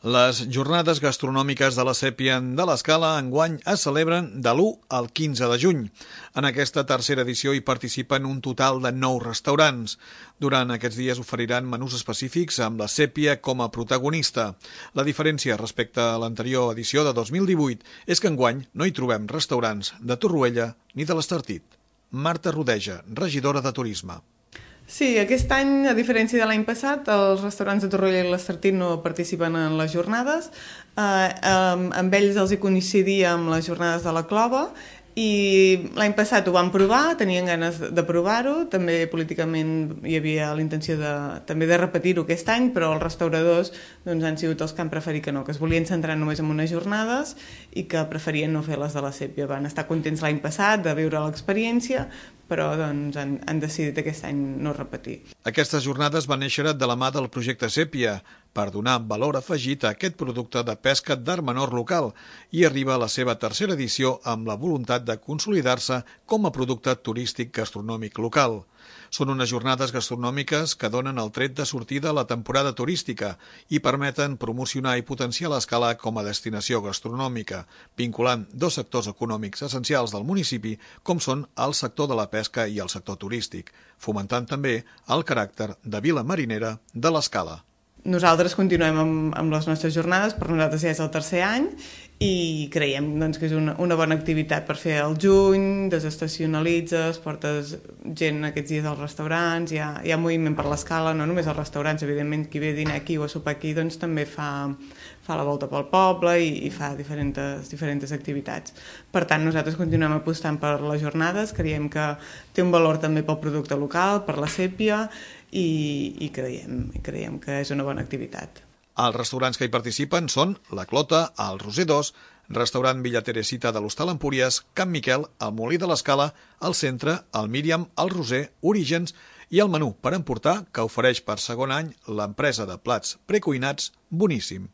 Les jornades gastronòmiques de la Sèpia de l'Escala enguany es celebren de l'1 al 15 de juny. En aquesta tercera edició hi participen un total de 9 restaurants. Durant aquests dies oferiran menús específics amb la Sèpia com a protagonista. La diferència respecte a l'anterior edició de 2018 és que enguany no hi trobem restaurants de Torroella ni de l'Estartit. Marta Rodeja, regidora de Turisme. Sí, aquest any, a diferència de l'any passat, els restaurants de Torroella i l'Estartit no participen en les jornades. Amb ells els hi coincidia amb les jornades de la Clova i l'any passat ho van provar, tenien ganes de provar-ho, també políticament hi havia la intenció també de repetir-ho aquest any, però els restauradors han sigut els que han preferit que no, que es volien centrar només en unes jornades i que preferien no fer les de la Sèpia. Van estar contents l'any passat de viure l'experiència, però han decidit aquest any no repetir. Aquestes jornades van néixer de la mà del projecte Sèpia per donar valor afegit a aquest producte de pesca d'art menor local i arriba a la seva tercera edició amb la voluntat de consolidar-se com a producte turístic gastronòmic local. Són unes jornades gastronòmiques que donen el tret de sortida a la temporada turística i permeten promocionar i potenciar l'Escala com a destinació gastronòmica, vinculant dos sectors econòmics essencials del municipi com són el sector de la pesca i el sector turístic, fomentant també el caràcter de vila marinera de l'Escala. Nosaltres continuem amb les nostres jornades, per nosaltres ja és el tercer any i creiem que és una bona activitat per fer al juny, desestacionalitzes, portes gent aquests dies als restaurants, hi ha moviment per l'Escala, no només als restaurants, evidentment qui ve a dinar aquí o a sopar aquí també fa la volta pel poble i fa diferents activitats. Per tant, nosaltres continuem apostant per les jornades, creiem que té un valor també pel producte local, per la Sèpia, i creiem que és una bona activitat. Els restaurants que hi participen són La Clota, el Roser 2, restaurant Villa Teresita de l'Hostal Empúries, Can Miquel, el Molí de l'Escala, el Centre, el Míriam, el Roser, Orígens i el menú per emportar que ofereix per segon any l'empresa de plats precuinats Boníssim.